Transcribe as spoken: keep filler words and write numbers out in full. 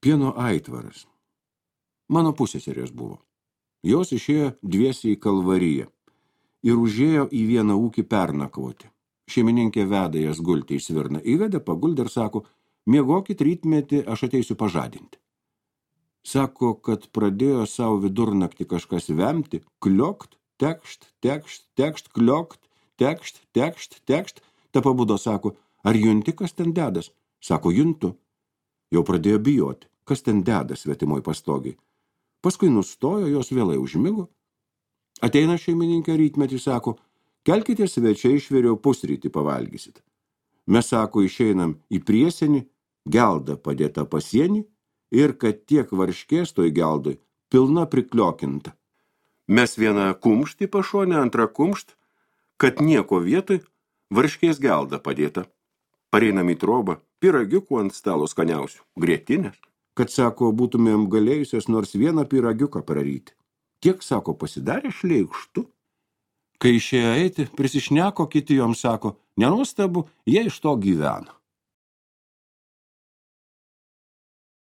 Pieno aitvaras. Mano pusseserės buvo. Jos išėjo dviesiai į Kalvariją ir užėjo į vieną ūkį pernakvoti. Šeimininkė veda jas gulti į svirną. Įvedė, paguldė ir sako, miegokit rytmetį, aš ateisiu pažadinti. Sako, kad pradėjo savo vidurnaktį kažkas vemti, kliokt, tekšt, tekšt, tekšt, kliokt, tekšt, tekšt, tekšt. Ta pabudo, sako, ar junti, kas ten dedas? Sako, juntu. Jau pradėjo bijoti, kas ten dedas svetimoj pastogiai. Paskui nustojo, jos vėlai užmigo. Ateina šeimininkė rytmetį, sako, kelkite svečiai, išvėriau pusrytį pavalgysit. Mes, sako, išeinam į priesienį, gelda padėta pasienį ir kad tiek varškės toj geldoj pilna prikliokinta. Mes vieną kumštį pašonę, antrą kumšt, kad nieko vietoj varškės gelda padėta. Pareinam į trobą, pyragiukų ant stalo skaniausių, grietinės, kad, sako, būtumėm galėjusios nors vieną pyragiuką praryti. Tiek, sako, pasidarė šleikštu. Kai išėjo eiti, prisišneko, kiti joms sako, nenuostabu, jie iš to gyvena.